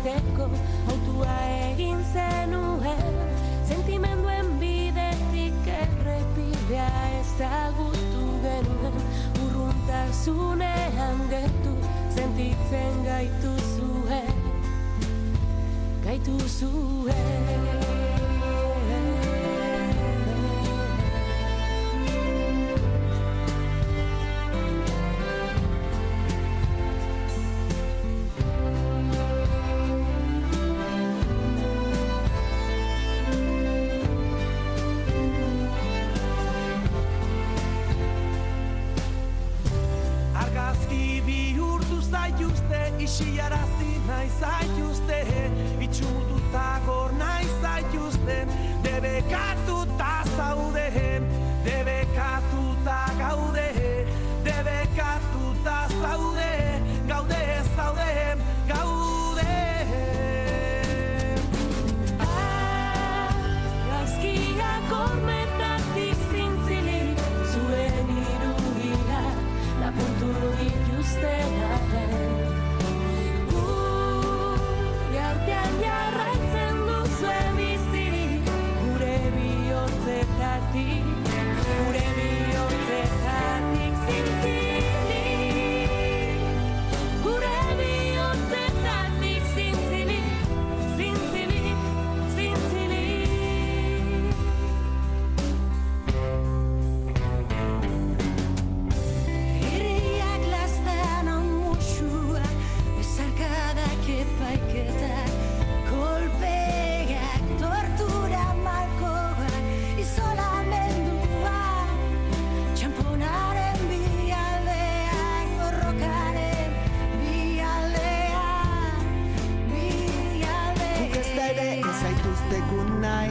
iristeko autua egin zenuen, sentimenduen bidetik errepidea ezagutu genuen, urruntasunean gertu sentitzen gaituzue. Argazki bihurtu zaituzte, isiarazi nahi zaituzte, itxututa gor nahi zaituzten, debekatuta zaudeen, debekatuta gaude, debekatuta zaude, gaude zaudeen, gaude. Argazkiak hormetatik zintzilik, zuen irudia lapurtu dituzten arren. Artean jarraitzen duzue bizirik, gure bihotzetatik zintzilik, gure bihotzetik zintzilik, zintzilik, zintzilik. Herriak lastean amusua, bezarkadak epaiketak, kolpeak, tortura malkoak, isolamendua, txamponaren bialdean, borrokaren bialdean. Guk ez da ere ezaituztekun nahi,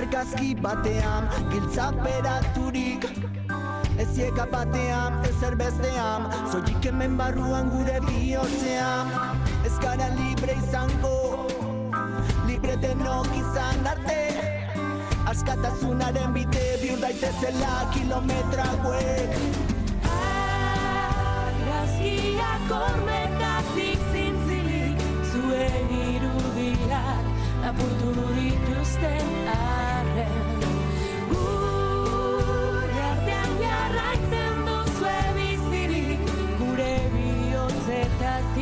argazki batean, giltzaperaturik, ezieka batean, ezer bestean, zoik hemen barruan gure bihotzean, ez gara libre izango, libre denok izan arte, askatasunaren bide bihur daitezela kilometra hauek. Argazkiak hormetatik zintzilik, zuen irudiak lapurtu dituzten arren. Gure artean jarraitzen duzue bizirik, gure bihotzetatik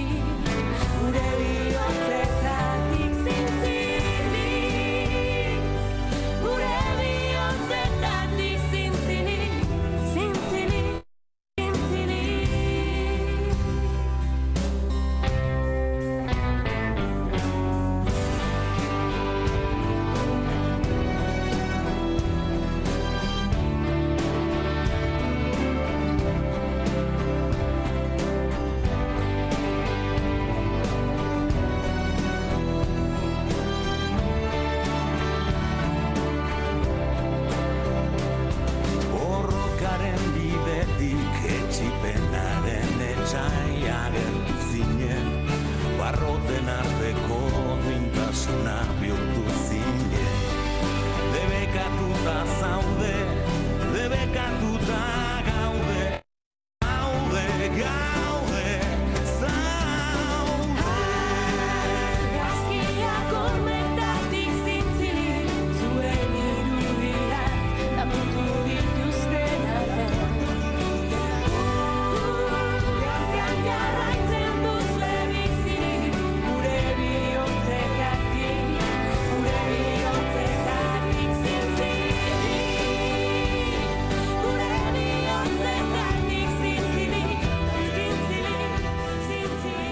zintzilik, gure bihotzetatik zintzilik, zintzilik, zintzilik. Borrokaren bidetik etxipenaren etxai agertu zinen, barroten arteko duintasuna bihurtu zinen. Debekatuta zaude, debekatuta gaude, gaude, gaude, zaude. Argazkiak hormetatik zintzilik, zuen irudiak lapurtu dituzten arren. Artean jarraitzen duzue bizirik, gure bihotzetatik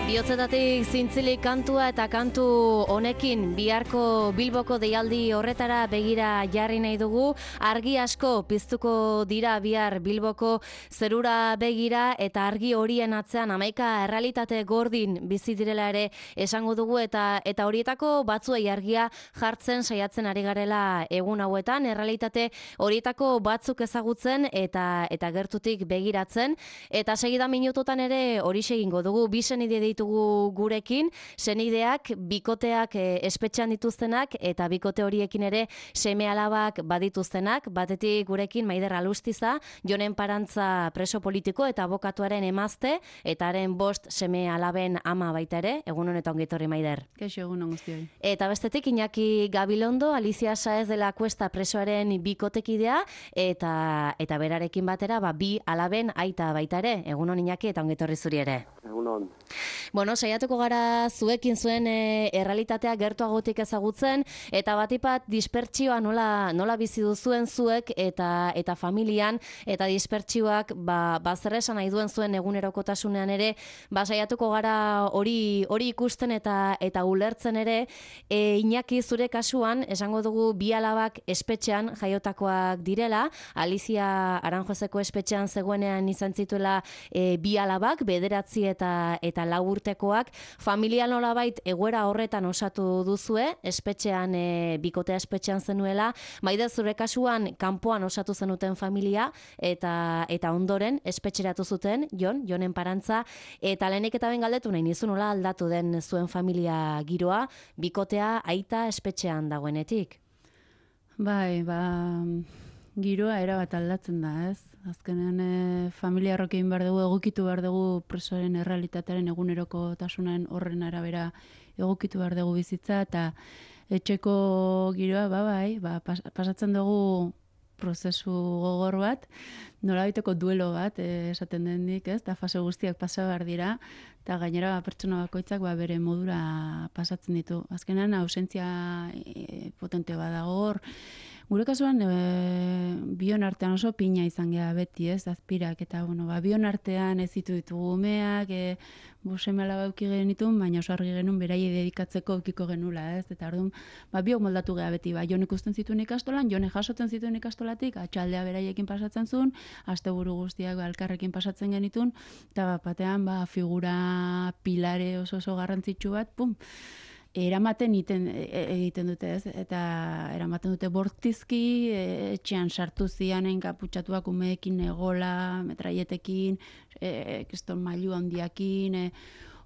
Bihotzetatik zintzilik kantua eta kantu honekin biharko Bilboko deialdi horretara begira jarri nahi dugu. Argi asko piztuko dira bihar Bilboko zerura begira eta argi horien atzean 11 errealitate gordin bizi direla ere esango dugu eta horietako batzuei argia jartzen saiatzen ari garela egun hauetan, errealitate horietako batzuk ezagutzen eta gertutik begiratzen eta segida minututan ere horixe egingo dugu. Bisen ide ditugu ditugu gurekin, senideak, bikoteak espetxean dituztenak, eta bikote horiekin ere seme-alabak badituztenak, batetik gurekin Maider Alustiza, Jonen Parantza preso politiko eta abokatuaren emazte, eta haren 5 seme-alaben ama baita ere, egun honetan ongi etorri Maider. Kaixo, egun on guztioi. Eta bestetik Iñaki Gabilondo, Alicia Saez de la Cuesta presoaren bikotekidea, eta berarekin batera, bi alaben aita baita ere, egun hon Iñaki eta ongi etorri zuri ere. Egunon. Bueno, saiatuko gara zuekin zuen errealitatea gertuagotik ezagutzen, eta batipat dispertsioa nola bizi duzuen zuek eta familian, eta dispertsioak zer esan nahi duen zuen egunerokotasunean ere, saiatuko gara hori ikusten eta ulertzen ere. Iñaki, zure kasuan, esango dugu 2 alabak espetxean jaiotakoak direla, Alicia Aranjoseko espetxean zegoenean izan zituela 2 alabak, 9 eta 4 urtekoak. Familia nolabait egoera horretan osatu duzue, espetxean, bikotea espetxean zenuela, Maider, zure kasuan kanpoan osatu zenuten familia, eta ondoren espetxeratu zuten, Jonen Parantza, eta lehenik eta ben galdetu nahi nizu nola aldatu den zuen familia giroa, bikotea aita espetxean dagoenetik? Bai, giroa erabat aldatzen da, ez? Azkenean familia horrekin behar dugu, egokitu behar dugu presoaren errealitatearen egunerokotasunen horren arabera egokitu behar dugu bizitza, eta etxeko giroa, pasatzen dugu prozesu gogor bat, nolabaiteko duelo bat, esaten denik, ez? Eta fase guztiak pasa behar dira, eta gainera pertsona bakoitzak bere modura pasatzen ditu. Azkenean, ausentzia potente badago hor. Gure kasuan, bion artean oso pina izan geha beti, ez, azpirak, eta, bion artean ez ditugu umeak, seme-alaba auki genitun, baina oso argi genuen beraiei dedikatzeko aukiko genula, ez, eta orduan, biok moldatu geha beti, Jon ikusten zituen ikastolan, Jone jasotzen zituen ikastolatik, atxaldea beraiekin pasatzen zuen, asteburu guztiak elkarrekin pasatzen genitun, eta batean, figura pilare oso garrantzitsu bat, eramaten egiten dute, ez? Eta eramaten dute bortizki, etxean sartu zianen kaputxatuak umeekin, egola, metraietekin, kriston mailu handiakin,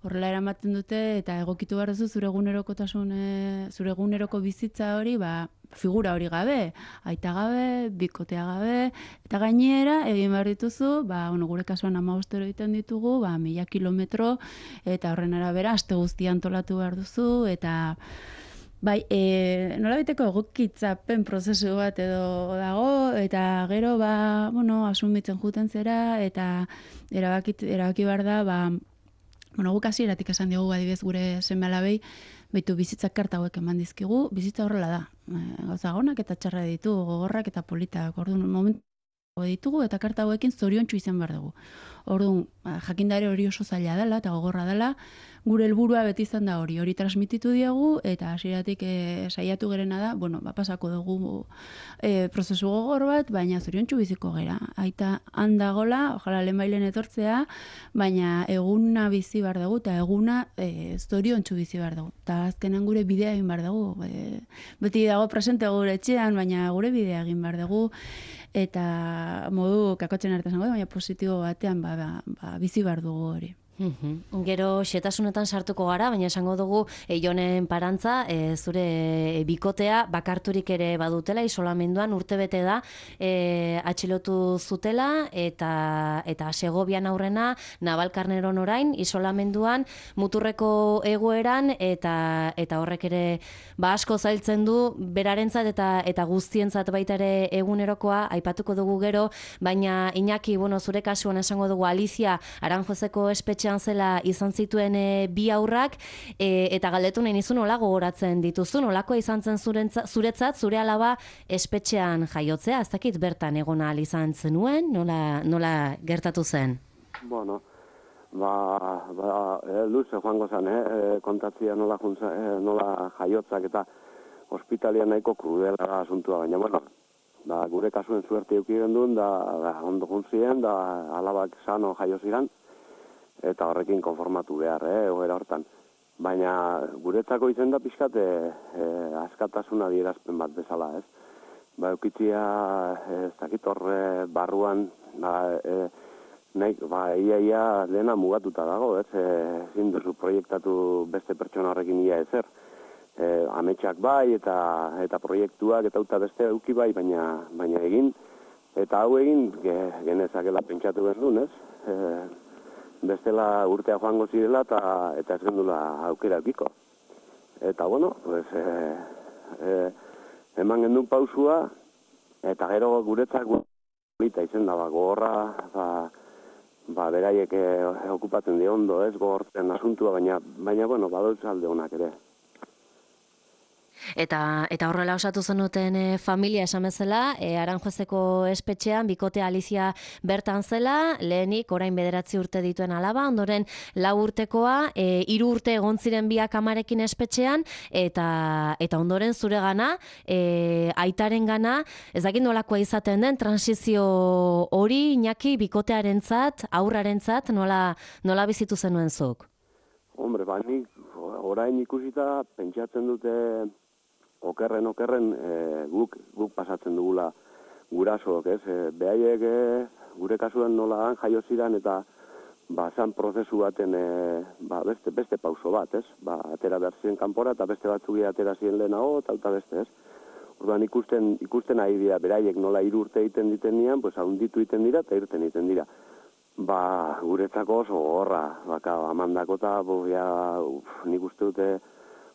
horrela eramaten dute, eta egokitu behar duzu zure eguneroko bizitza hori, figura hori gabe, aita gabe, bikotea gabe, eta gainera, egin behar dituzu, gure kasuan 15 egiten ditugu, 1000 kilometro, eta horren arabera, aste guztia antolatu behar duzu, eta nolabiteko egokitzapen prozesu bat edo dago, eta gero, asumitzen juten zera, eta erabaki behar da, guk hasieratik esan diogu adibidez gure seme-alabei, bizitzak karta hauek eman dizkigu, bizitza horrela da. Gauza gonak eta txarra ditu, gogorrak eta politak. Orduan, momentu ditugu eta karta hauekin zoriontsu izan behar dugu. Orduan, jakindare hori oso zaila dela eta gogorra dela, gure helburua beti izan da hori transmititu diegu, eta hasieratik saiatu gerena da, pasako dugu prozesu gogor bat, baina zoriontsu biziko gera. Aita handagola, ojala lehenbailen etortzea, baina eguna bizi behar dugu, eta eguna zoriontsu bizi behar dugu. Eta azkenan gure bidea egin behar dugu. Beti dago presente gure etxean, baina gure bidea egin behar dugu, eta modu kakotzen artean, baina positibo batean bizi behar dugu hori. Gero xetasunetan sartuko gara, baina esango dugu Jonen Parantza, zure bikotea bakarturik ere badutela, isolamenduan urtebete da atxilotu zutela, eta Segobian aurrena, Navalkarneron orain, isolamenduan, muturreko egoeran, eta horrek ere asko zailtzen du, berarentzat eta guztientzat baita ere egunerokoa, aipatuko dugu gero, baina Iñaki, zure kasuan esango dugu Alicia Aranjoseko espetxean zela izan zituen 2 haurrak, eta galdetu nahi nizu nola gogoratzen dituzu, nolakoa izan zen zuretzat, zure alaba espetxean jaiotzea, ez dakit bertan egon ahal izan zenuen, nola gertatu zen? Bueno, luze joango zen, kontatzia nola jaiotzak eta hospitalian nahiko krudela asuntua, baina, gure kasuen suerte euki genduen, da ondo juntzien, da alabak sano jaio ziren, eta horrekin konformatu behar, egoera hortan. Baina guretzako izen da pixkat askatasuna adierazpen bat bezala, ez? Eukitzia, ez dakit horre barruan, nahi, ia dena mugatuta dago, ez? Ezin duzu proiektatu beste pertsona horrekin ia ezer. Ametsak bai, eta proiektuak, eta beste euki bai, baina egin, eta hau egin genezakela pentsatu genuen, ez? Bestela urtea joango zirela, eta ez gendula aukera eukiko. Eta, bueno, pues, eman gendun pausua, eta gero guretzak polita izen da, gogorra, beraiek okupatzen di ondo, ez, gogortzen asuntua, baina bueno, badoitz alde honak ere. Eta horrela osatu zenuten familia esan bezala, Aranjuezeko espetxean, bikote Alicia bertan zela, lehenik orain 9 urte dituen alaba, ondoren 4 urtekoa, 3 urte egon ziren biak amarekin espetxean, eta ondoren zure gana, aitaren gana, ez dakit nolakoa izaten den, transizio hori, Iñaki, bikotearentzat, aurrarentzat, nola bizitu zenuen zuk? Hombre, nik orain ikusita pentsatzen dute okerren guk pasatzen dugula gurasoak, ez? Behaiek gure kasuan nola jaio ziren eta zan prozesu baten beste pauso bat, ez? Atera behar ziren kanpora eta beste batzuk atera ziren lehenago eta beste, ez? Orduan ikusten ari dira, beraiek nola 3 urte egiten diten nian, pues haunditu egiten dira eta irten egiten dira. Guretzako oso gorra, amandako eta nik uste dute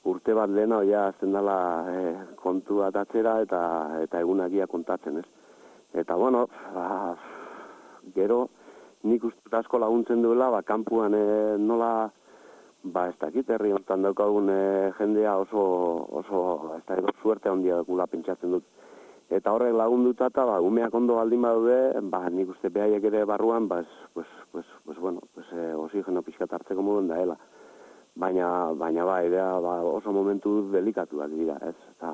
urte bat lehena azten dela kontu bat atzera eta egunakia kontatzen, ez? Eta, bueno, gero nik uste asko laguntzen duela, kanpuan nola, ez dakit herri honetan daukagun jendea oso ez da suerte handia gula pentsatzen dut. Eta horrek lagunduta eta umeak ondo baldin badaude, nik uste behaiek ere barruan, oxigeno pixkat hartzeko moduen daela. Baina oso momentu delikatuak dira, ez? Eta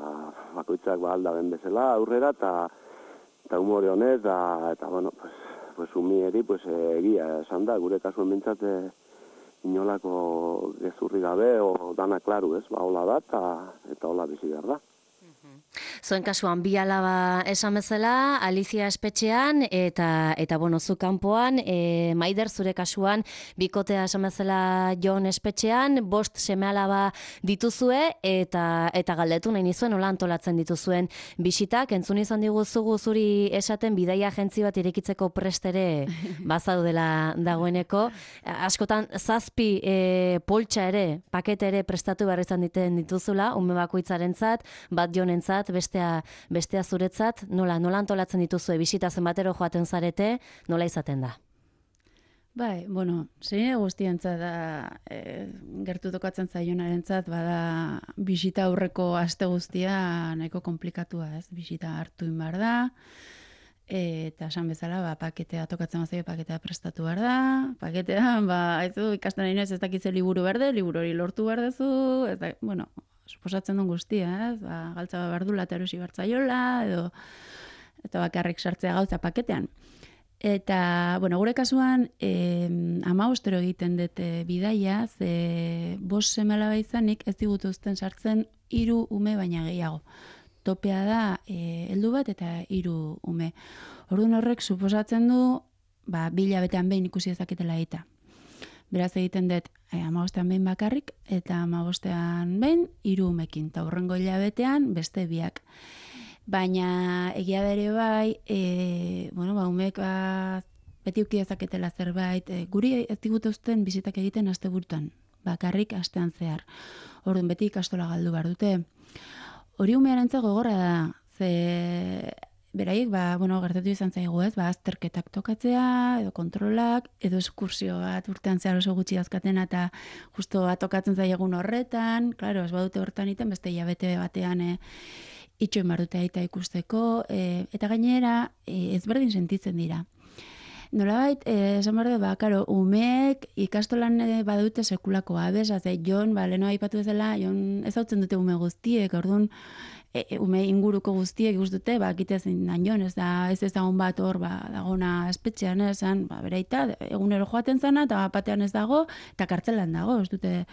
bakoitzak aldaben bezala aurrera, eta humore honez, eta umieri egia esan da, gure kasuen bintzat inolako gezurri gabe, o dana klaru, ez? Hola da, eta hola bizi behar da. Zuen kasuan, bi alaba esan bezala, Alicia espetxean, eta bueno, zu kanpoan, Maider zure kasuan, bikotea esan bezala Jon espetxean, 5 seme alaba dituzue, eta galdetu nahi nizuen, nola antolatzen dituzuen bisitak, entzun izan diguzugu zuri esaten bidaia agentzi bat irekitzeko prestere bazaudela dagoeneko, askotan 7 poltsa ere, pakete ere prestatu behar izan dituzula, ume bakoitzarentzat, bat Jonentzat, bestea zuretzat, nola antolatzen dituzue bisita zenbatero joaten zarete, nola izaten da? Bai, bueno, zein guztientzat da, gertu tokatzen zaionarentzat, bada bisita aurreko aste guztia nahiko komplikatua, ez? Bisita hartu inbar da, eta esan bezala, paketea tokatzen bazaio, paketea prestatu behar da, paketean, ikasten nahi ez dakitze liburu berde, liburu hori lortu behar dezu, bueno, suposatzen duen guztia, ez? Galtza behar du erosi bertzaiola, eta bakarrik sartzea gauza paketean. Eta, bueno, gure kasuan, 15 egiten dut bidaia, 5 seme-alaba izanik ez digutuzten sartzen 3 ume baina gehiago. Topea da, heldu bat eta 3 ume. Orduan horrek suposatzen du, 2 hilabetean behin ikusi ezaketela eta. Beraz egiten dut 15ean behin bakarrik, eta 15ean behin 3 umekin, eta hurrengo hilabetean beste 2. Baina egia dere bai, umek beti uki ezaketela zerbait, guri ez digutuzten bizitak egiten asteburutan, bakarrik astean zehar. Orduan beti ikastola galdu behar dute. Hori umearentzat gogorra da, ze beraiek, gertatu izan zaigu ez, azterketak tokatzea, edo kontrolak, edo eskursio bat urtean zehar oso gutxi azkatena, eta justo tokatzen zaiegun horretan, klaro, ez badute hortan iten, beste hilabete batean itxoin barute aita ikusteko, eta gainera ezberdin sentitzen dira. Nolabait, esan behar dut, umeek ikastolan badute sekulako abez, Jon, leheno aipatu ezela, Jon ezautzen dute ume guztiek, orduan, ume inguruko guztiek guztute, kitezin dan Jon, ez ezagun bat hor, dagona espetxean, esan, bereita, egunero joaten zana, eta batean ez dago, eta kartzelan dago, ez dute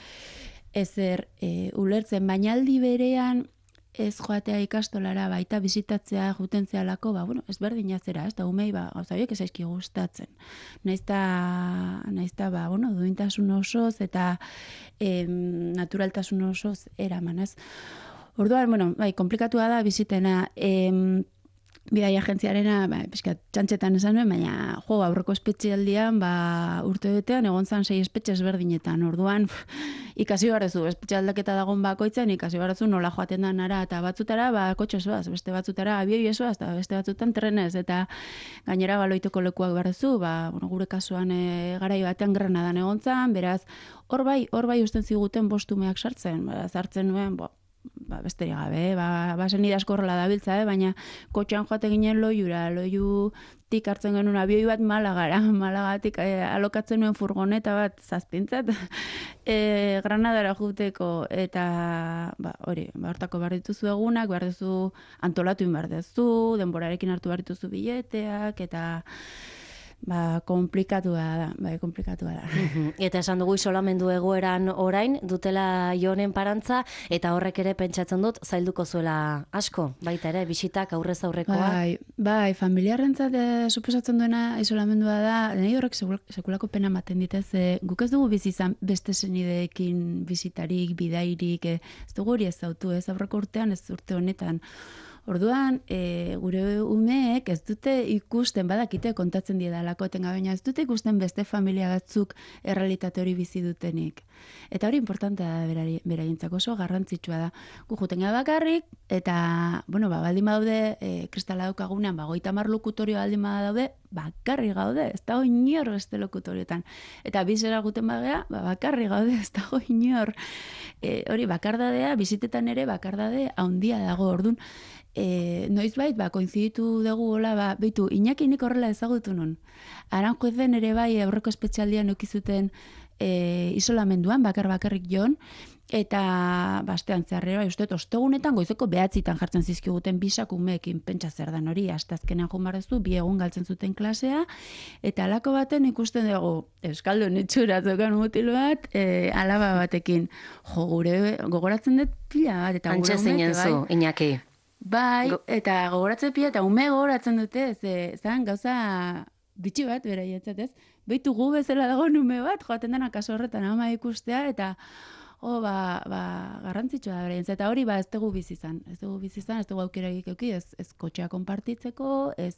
ezer ulertzen, baina aldi berean, ez joatea ikastolara baita bizitatzea juten zealako, ezberdina zera, ez da umei, gauza horiek ez aizki gustatzen. Naizta, duintasun osoz eta naturaltasun osoz eraman, ez? Orduan, komplikatua da bizitena, bidai agentziarena, pixkat, txantxetan esan nuen, baina aurreko espetxealdian, urte betean, egon zan 6 espetxe ezberdinetan. Orduan, ikasi barrezu, espetxe aldaketa dagoen bakoitzen, ikasi barrezu nola joaten da nara, eta batzutara, kotxez zoaz, beste batzutara abioi esoaz, eta beste batzutan trenez, eta gainera baloiteko lekuak barrezu, gure kasuan garai batean Granadan egon zan, beraz, hor bai usten ziguten bostumeak sartzen, sartzen nuen, besterik gabe, basen idasko horrela dabiltza, baina kotxean joate ginen loiutik hartzen genuen abioi bat Malagatik alokatzen nuen furgoneta bat zazpintzat, Granadara juteko, eta hortako behar dituzu egunak, behar duzu antolatu behar duzu, denborarekin hartu behar dituzu bileteak, eta komplikatua da. Eta esan dugu isolamendu egoeran orain, dutela Jonen parantza, eta horrek ere pentsatzen dut, zailduko zuela asko, baita ere, bisitak aurrez aurrekoa. Bai, familiarrentzat suposatzen duena isolamendua da, nahi horrek sekulako pena ematen ditez, guk ez dugu bizi izan beste senideekin bisitarik, bidairik, ez dugu hori ezautu, ez aurreko urtean, ez urte honetan. Orduan, gure umeek ez dute ikusten, badakite kontatzen diedalako etengabe, baina ez dute ikusten beste familia batzuk errealitate hori bizi dutenik. Eta hori importantea da beraientzako, oso garrantzitsua da. Gu juten gara bakarrik, eta, baldin badaude, kristala daukagunean, 30 lokutorio baldin badaude, bakarrik gaude, ez dago inor beste lokutorioetan. Eta bizera guten bagea, bakarrik gaude, ez dago inor. Hori, bakardadea, bizitetan ere bakardade haundia dago, orduan, noizbait, koinziditu dugu hola, beitu, Iñaki nik horrela ezagutu nun. Aranjuezen ere bai aurreko espetxaldian eukizuten isolamenduan, bakarrik jon, eta bastean zeharrera, uste, ostegunetan goizeko 9 jartzen zizkiguten bisak umeekin, pentsa zer dan hori, astazkenean junbarrezu, 2 egun galtzen zuten klasea, eta alako baten ikusten dugu, euskaldun itxura zokan mutil bat, alaba batekin. Gure gogoratzen dut pila bat, eta gure umeek, zu, Iñaki. Bai, eta gogoratzen pila, eta ume gogoratzen dute, zan gauza bitxi bat, beraiatzat ez, behitu gu bezala dago ume bat, joaten dena kaso horretan ama ikustea, eta garrantzitsua da beraientzat, eta hori ez dugu bizizan, ez dugu aukera egiteko, ez kotxea konpartitzeko, ez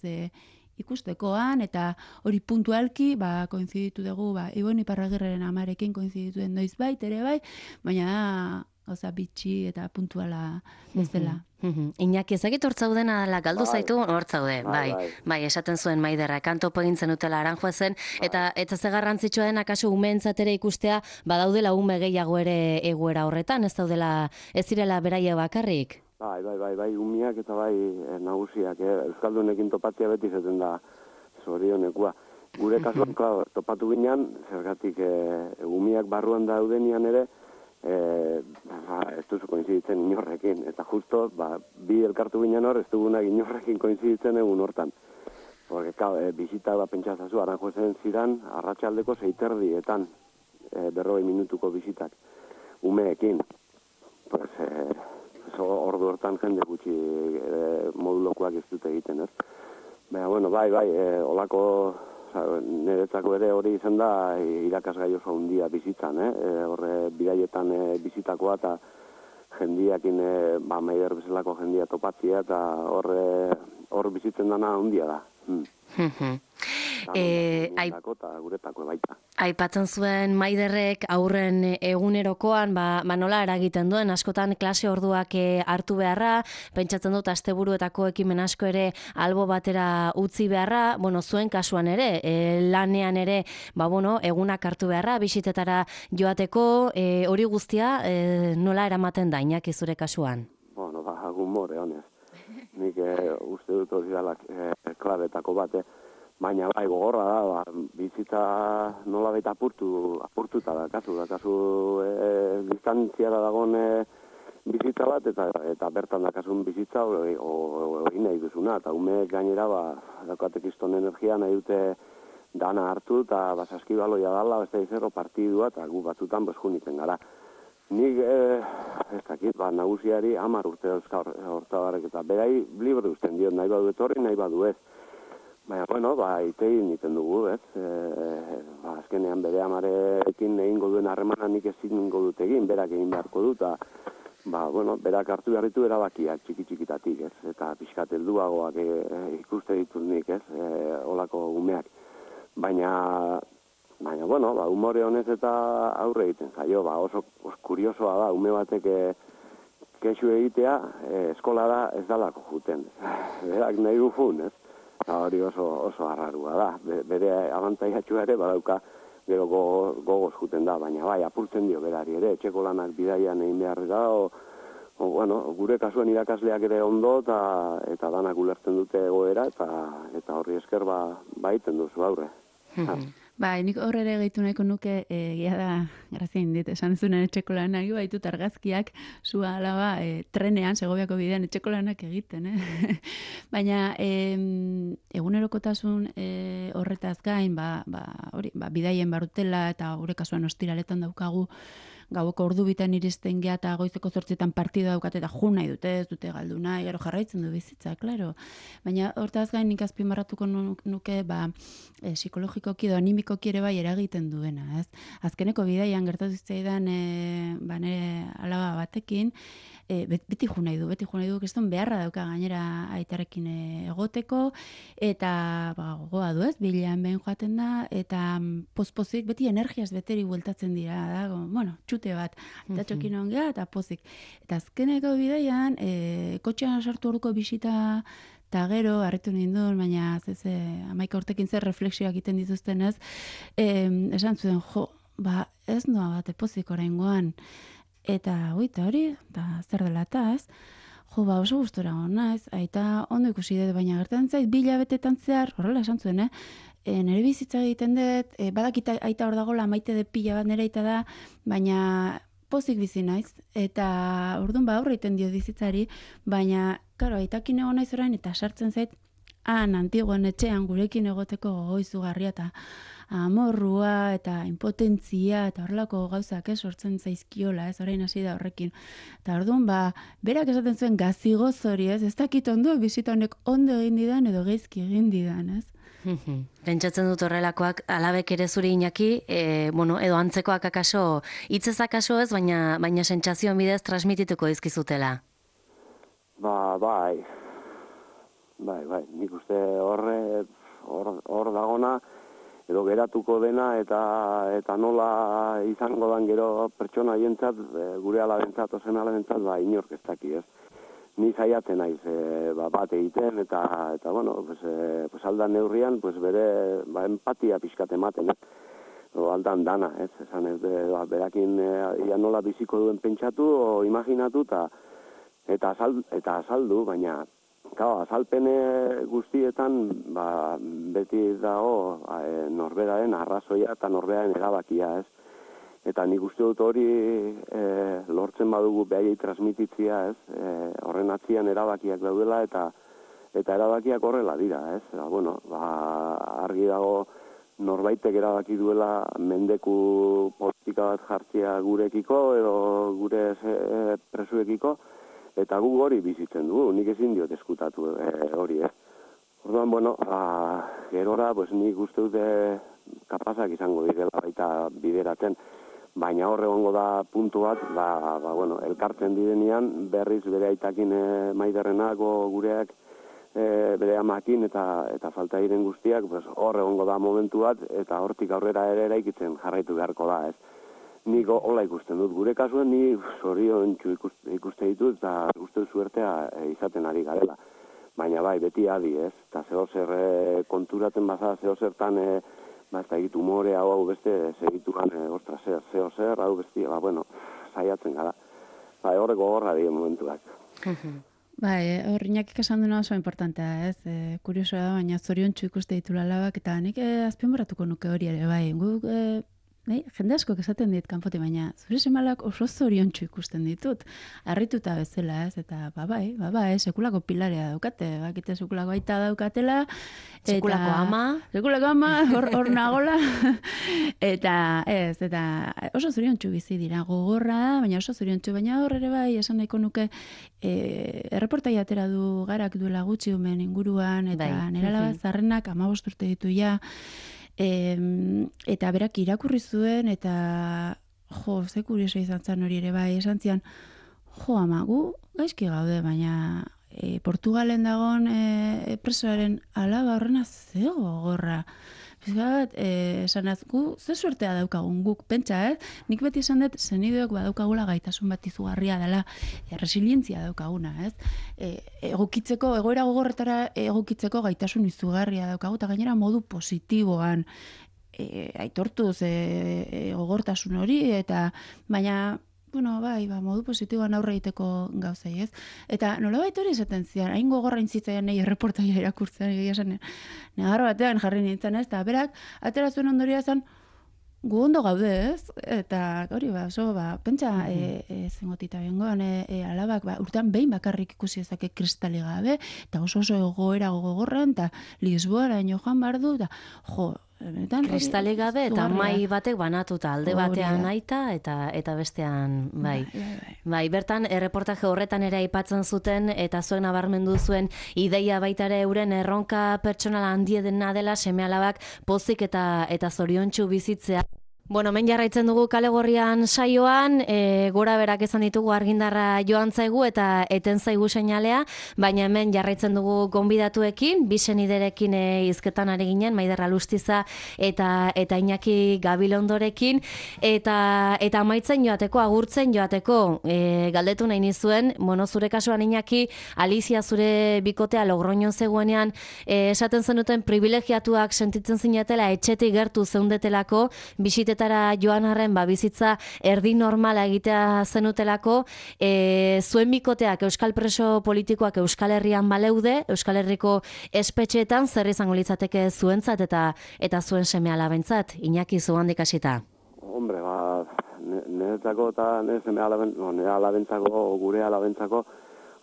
ikustekoan, eta hori puntualki, koinziditu dugu, Ibon Iparragirreren amarekin koinziditu den noiz bait, ere bai, baina gauza bitxi eta puntuala bezala. Iñaki, ezagit hortzaudena galdu zaitu, hortzaude, bai, esaten zuen Maiderra, kantopo egintzen utela Aranjuezen, eta ze garrantzitsua den akaso umeentzat ere ikustea, badaudela ume gehiago ere egoera horretan, ez direla beraia bakarrik? Bai, umiak eta bai nagusiak, Euskaldunekin topatzea beti zaten da zorionekua. Gure kasuan, topatu ginean, zergatik umiak barruan daudenian ere, ez duzu koinziditzen inorrekin, eta justo, bi elkartu ginen hor, ez dugunak inorrekin koinziditzen egun hortan. Porque, bizita pentsatzazu, Aranjuezen zidan, arratsaldeko 6:30, 40 minutuko bizitak, umeekin. Ordu hortan jende gutxi modulokoak ez dute egiten, ez? Baina, bai, olako, niretzako ere hori izan da irakasgai oso handia bizitzan, horre bidaietan bizitakoa eta jendiakin, Maider bezalako jendia topatzia eta hor bizitzen dana handia da. Guretako baita. Aipatzen zuen Maiderrek aurren egunerokoan, nola eragiten duen, askotan klase orduak hartu beharra, pentsatzen dut asteburuetako ekimen asko ere albo batera utzi beharra, zuen kasuan ere, lanean ere, egunak hartu beharra, bisitetara joateko, hori guztia nola eramaten da, Iñaki, zure kasuan? Humore, honez. Nik uste dut hori dela klabetako bate, baina gogorra da, bizitza nola baita apurtuta da, kasu distantziara dagoen bizitza bat, eta bertan dakasun bizitza hori nahi duzuna, eta umeek gainera, daukatek izton energia nahi dute dana hartu, eta saskibaloia dala, ez da izero partidua, eta gu batzutan junikten gara. Nik, ez dakit, nagusiari 10 urte dauzka hortabarrek, eta berai libre uzten diot, nahi badu etorri, nahi badu ez. Baina, bueno, itegin egiten dugu, ez? Azkenean bere amarekin egingo duen harremana nik ezin dut egin, berak egin beharko dut, eta, bueno, berak hartu behar ditu erabakiak txiki-txikitatik, ez? Eta pixkat helduagoak ikuste ditut nik, ez? Olako umeak. Baina, bueno, umore honez eta aurre egiten zaio, oso kuriosoa da, ume batek kexu egitea, eskolara ez dalako juten. Berak nahi du jun, ez? Hori oso arrarua da. Bere abantaiatxua ere badauka gero gogoz juten da, baina bai, apurtzen dio berari ere, etxeko lanak bidaian egin behar da, bueno, gure kasuen irakasleak ere ondo eta danak ulertzen dute egoera eta horri esker baiten duzu aurre. Nik horre ere gehitu nahiko nuke, egia da, grazia indit, esan zunen etxeko lanak, baitut argazkiak, zua alaba, trenean, Segoviako bidean, etxeko lanak egiten, Baina, egunerokotasun horretaz gain, bidaien barutela, eta gure kasuan ostiraletan daukagu, gaueko ordu bitan iristen gea eta goizeko 8etan partida daukate eta jun nahi dute, ez dute galdu nahi, gero jarraitzen du bizitza, klaro. Baina hortaz gain nik azpimarratuko nuke psikologikoki edo animikoki ere bai eragiten duena, ez? Azkeneko bidaian gertatu zitzaidan nire alaba batekin, beti jun nahi du, kriston beharra dauka gainera aitarekin egoteko, eta gogoa du, ez? Bilean behin joaten da, eta pozpozik beti energiaz beteri bueltatzen dira, da, bueno, txute bat, eta txokin ongea, eta pozik. Eta azkeneko bidaian, kotxean sartu orduko bisita, eta gero, harritu nindun, baina 11 urtekin zer refleksioak egiten dituzten ez, esan zuen, ez noa bat, pozik oraingoan, eta hori, eta zer dela eta ez, oso gustora gona ez, aita ondo ikusi dut, baina gertan zait, 2 hilabetetan zehar, horrela esan zuen, nire bizitza egiten dut, badakit aita hor dagoela, maite de pila bat nire aita da, baina pozik bizi naiz, eta orduan aurre egiten dio bizitzari, baina, karo, aitakin egon naiz orain, eta sartzen zait, antigoen etxean gurekin egoteko gogoizugarria, eta amorrua, eta impotentzia, eta horrelako gauzak sortzen zaizkiola, orain hasi da horrekin. Eta orduan, berak esaten zuen gazigoz hori, ez dakit ondo, bizita honek ondo egin didan, edo geizki egin didan, ez? Pentsatzen dut horrelakoak alabek ere zuri Iñaki, edo antzekoak akaso, hitzez akaso ez, baina sentsazioen bidez transmitituko dizkizutela. Bai, nik uste hor dagona, edo geratuko dena, eta nola izango dan gero pertsona hientzat, gure alabentzat, ozen alabentzat, inork ez daki, ez? Ni saiatzen naiz bat egiten, eta bueno, pues aldan neurrian, pues bere empatia pixkat ematen, aldan dana, ez? Esan ez, berakin ia nola biziko duen pentsatu, o imaginatu, eta azaldu, baina azalpen guztietan beti dago norberaren arrazoia eta norberaren erabakia, ez? Eta nik uste dut hori lortzen badugu behaiei transmititzia, ez? Horren atzian erabakiak daudela eta erabakiak horrela dira, ez? Argi dago norbaitek erabaki duela mendeku politika bat jartzea gurekiko edo gure presuekiko, eta gu hori bizitzen dugu, nik ezin diot eskutatu hori, ez? Orduan, gerora, nik uste dute kapazak izango direla baita bideratzen, baina hor egongo da puntu bat, elkartzen direnean, berriz bere aitakin maiderrenako gureak, bere amakin eta falta diren guztiak, hor egongo da momentu bat, eta hortik aurrera ere eraikitzen jarraitu beharko da, ez? Nik hola ikusten dut, gure kasuen ni zorion ikuste ditut, eta uste suertea izaten ari garela. Baina beti adi, ez? Eta zehozer konturatzen baza, zehozertan, ez da egitu humore hau beste, segituan, zehozer, hau beste, saiatzen gara. Horreko gorra dien momentuak. Hor Iñakik esan duena oso importantea, ez? Kuriosoa da, baina zoriontsu ikuste ditu alabak, eta nik azpimarratuko nuke hori ere, guk jende askok esaten dit kanpote, baina zure semalak oso zoriontsu ikusten ditut. Harrituta bezala, ez? Eta bai, sekulako pilarea daukate, bakite sekulako aita daukatela. Sekulako ama. Sekulako ama, hor nagola. eta oso zoriontsu bizi dira, gogorra da, baina oso zoriontsu, baina hor ere bai, esan nahiko nuke, erreportai atera du Garak duela gutxi umen inguruan, eta nire alaba zarrenak 15 urte ditu ja, eta berak irakurri zuen, eta ze kurioso izan zen hori ere bai, esan zian, ama, gu gaizki gaude, baina Portugalen dagoen presoaren alaba horrena zego gogorra. Bizkat, esan gu, ze suertea daukagun guk, pentsa, nik beti esan dut, zenideok badaukagula gaitasun bat izugarria dela, resilientzia daukaguna, ez? Egokitzeko, egoera gogorretara egokitzeko gaitasun izugarria daukagu, eta gainera modu positiboan aitortuz gogortasun hori, eta baina, modu positiboan aurre egiteko gauzei, ez? Eta nolabait hori esaten zian, hain gogorra intzitzaian nahi erreportaia irakurtzen, esan, negarro batean jarri nintzen, ez? Eta berak, atera zuen ondoria zen, gu ondo gaude, ez? Eta hori, pentsa, zengotita bengoan, alabak, urtean behin bakarrik ikusi ezake kristali gabe, eta oso egoera gogorran, eta Lisboara joan behar du, eta kristali gabe eta mai batek banatuta alde batean aita eta bestean bai. Bertan erreportaje horretan ere aipatzen zuten eta zuen nabarmendu zuen ideia baita ere euren erronka pertsonal handiena dela seme-alabak pozik eta zoriontsu bizitzea. Men jarraitzen dugu Kale Gorrian saioan, gora berak esan ditugu argindarra joan zaigu eta eten zaigu seinalea, baina hemen jarraitzen dugu gonbidatuekin, biseniderekin hizketan ari ginen, Maider Alustiza eta Iñaki Gabilondorekin, eta amaitzen joateko, agurtzen joateko, galdetu nahi nizuen, zure kasuan Iñaki, Alicia zure bikotea Logroñon zegoenean, esaten zenuten privilegiatuak sentitzen zinetela, etxetik gertu zeundetelako, bisitetara joan arren bizitza erdi normala egitea zenutelako, zuen bikoteak Euskal preso politikoak Euskal Herrian baleude, Euskal Herriko espetxeetan zer izango litzateke zuentzat eta zuen seme-alabentzat, Iñaki zuhandik hasita. Hombre, niretzako eta nire alabentzako, gure alabentzako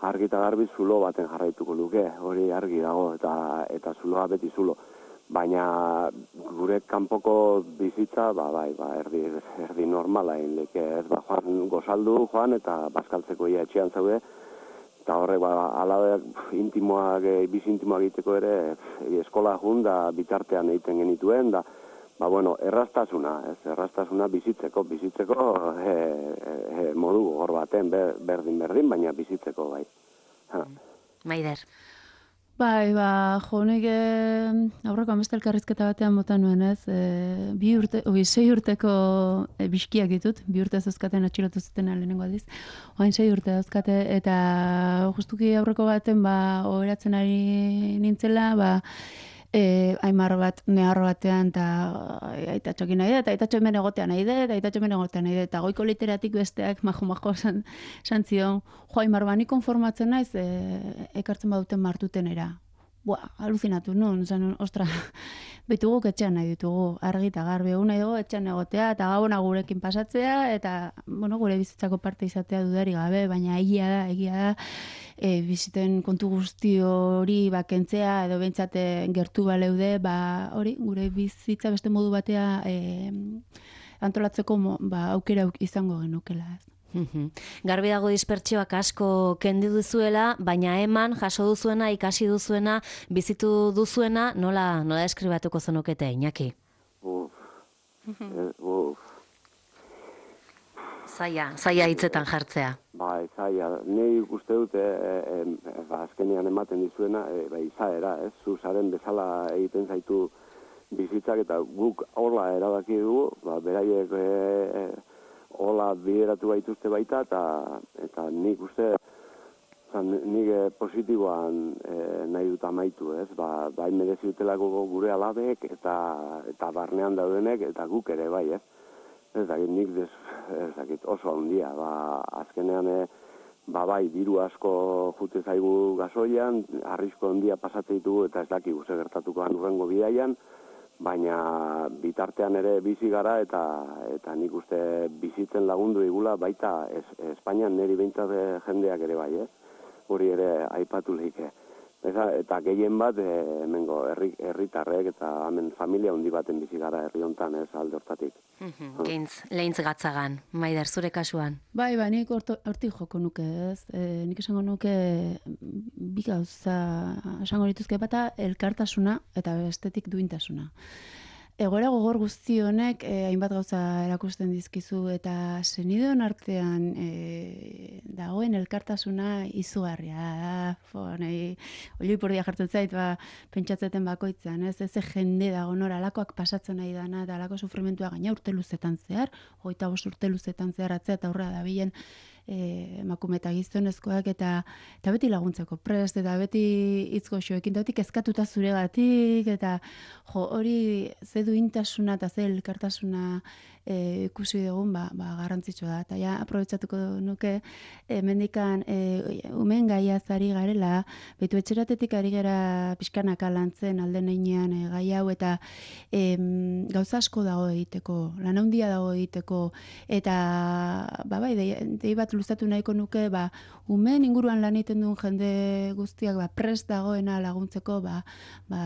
argi eta garbi zulo baten jarraituko luke, hori argi dago eta zuloa beti zulo. Baina gure kanpoko bizitza, erdi normala inleke, ez, joan gozaldu, joan, eta bazkaltzeko ia etxean zaude, eta horrek, alabeak intimoak, bizi intimoak egiteko ere, eskola jun, da bitartean egiten genituen, da, erraztasuna bizitzeko modu gogor baten, berdin, baina bizitzeko, bai. Maider. Nik aurreko ameste elkarrizketa batean bota nuen, ez? 6 urteko biskiak ditut, 2 urte zozkaten atxilotu zuten lehenengo aldiz. Oain 6 urte zozkate, eta justuki aurreko baten, oheratzen ari nintzela, aimar bat, neharro batean, eta aitatxokin nahi eta aitatxo hemen egotean nahi eta goiko literatik besteak majo esan zion, aimar nik konformatzen naiz, ekartzen baduten martutenera. Aluzinatu nun, ostra, bituguk etxean nahi ditugu, argi eta garbi, nahi dugu etxean egotea, eta gabona gurekin pasatzea, eta, gure bizitzako parte izatea dudari gabe, baina egia da, biziten kontu guzti hori kentzea, edo behintzate gertu baleude, hori, gure bizitza beste modu batea antolatzeko aukera izango genukela, ez. Garbi dago dispertsioak asko kendu duzuela, baina eman jaso duzuena, ikasi duzuena, bizitu duzuena, nola deskribatuko zenukete, Iñaki? Zaila hitzetan jartzea. Zaila. Nei uste dute, azkenean ematen dizuena, izaera, ez? Zuzaren bezala egiten zaitu bizitzak, eta guk hola erabaki dugu, beraiek hola bideratu baituzte baita, eta nik uste, nik positiboan nahi dut amaitu, ez? Bai merezi dutelako gure alabek, eta barnean daudenek, eta guk ere bai, ez? Ez dakit oso handia, azkenean, bai, diru asko jute zaigu gasoian, arrisko handia pasate ditugu, eta ez dakik gertatuko urrengo bidaian, baina bitartean ere bizi gara eta nik uste bizitzen lagundu digula baita Espainian niri behintzat jendeak ere bai, hori ere aipatu lehike. Eta gehien bat hemengo herritarrek eta hemen familia handi baten bizi gara herri hontan alde hortatik. Lehintz gatzagan, Maider, zure kasuan. Bai, nik hortik joko nuke, ez? Nik esango nuke bi gauza esango dituzke bata elkartasuna eta bestetik duintasuna. Egoera gogor guzti honek hainbat gauza erakusten dizkizu eta senideon artean dagoen elkartasuna izugarria da. Olioipurdia jartzen zait, pentsatzeten bakoitzean, ez jende dago nora alakoak pasatzen nahi dana eta alako sufrimentua gaina urte luzetan zehar, 25 urte luzetan zehar atzea eta aurra da bilen emakume eta gizonezkoak eta beti laguntzeko prest eta beti hitzgoxoekin dautik eskatuta zuregatik eta hori ze duintasuna eta ze elkartasuna ikusi dugun garrantzitsua da. Eta ja aprobetxatuko nuke mendikan umen gaiaz ari garela, betu etxeratetik ari gara pixkanaka lantzen alden einean gai hau eta gauza asko dago egiteko, lan handia dago egiteko eta bai, dei bat luzatu nahiko nuke umen inguruan lan egiten duen jende guztiak prest dagoena laguntzeko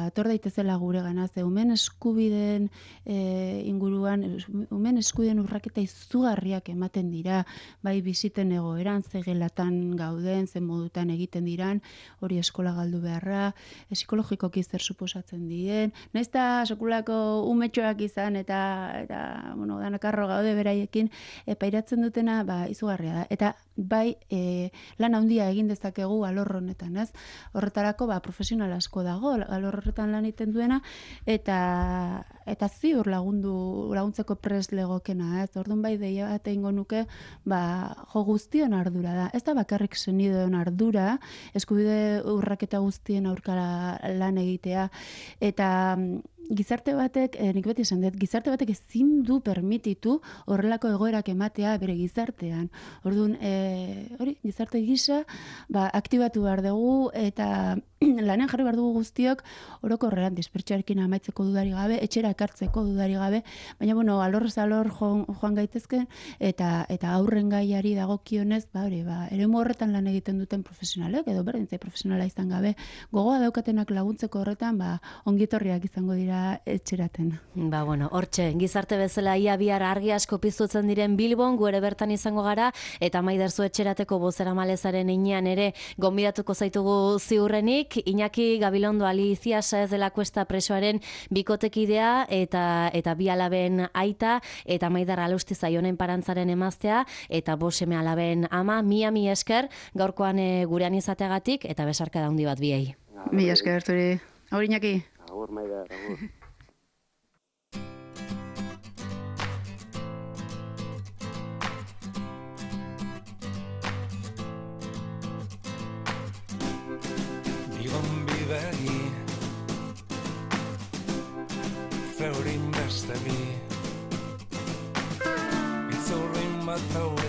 etor daitezela gure gana, ze umen eskubideen inguruan umen eskubideen urraketa izugarriak ematen dira, bai biziten egoeran, ze gelatan gauden, ze modutan egiten diran, hori eskola galdu beharra, psikologikoki zer suposatzen dien, nahiz eta sekulako umetxoak izan eta danakarro gaude beraiekin, pairatzen dutena izugarria da. Eta bai lan handia egin dezakegu alor honetan, ez? Horretarako profesional asko dago, alor horretan lan egiten duena, eta ziur laguntzeko prest legokena, ez? Orduan bai deia bat egingo nuke, jo guztion ardura da. Ez da bakarrik senideon ardura, eskubide urraketa guztien aurkara lan egitea, eta gizarte batek, nik beti esan dut, gizarte batek ezin du permititu horrelako egoerak ematea bere gizartean. Orduan, hori, gizarte gisa, aktibatu behar dugu eta lanean jarri behar dugu guztiok orokorrean dispertsioarekin amaitzeko dudari gabe, etxera ekartzeko dudari gabe, baina, alorrez alor joan gaitezken eta aurren gaiari dagokionez, eremu horretan lan egiten duten profesionalek, edo berdintzai profesionala izan gabe, gogoa daukatenak laguntzeko horretan, ongitorriak izango dira etxeraten. Hortxe, gizarte bezala ia bihar argi asko piztutzen diren Bilbon, gu ere bertan izango gara, eta Maider zu etxerateko bozeramalezaren heinean ere gonbidatuko zaitugu ziurrenik, Iñaki Gabilondo Alicia Saez de la Cuesta presoaren bikotekidea eta bi alaben aita, eta Maider Alusti Zaionen parantzaren emaztea, eta 5 seme alaben ama, mi esker, gaurkoan gurean izateagatik, eta besarka da handi bat biei. Mi esker, zuri. Agur, Iñaki. Agur, Maider, agur. Bilbon bidegi zeurin beste bi Itzurrin bat hau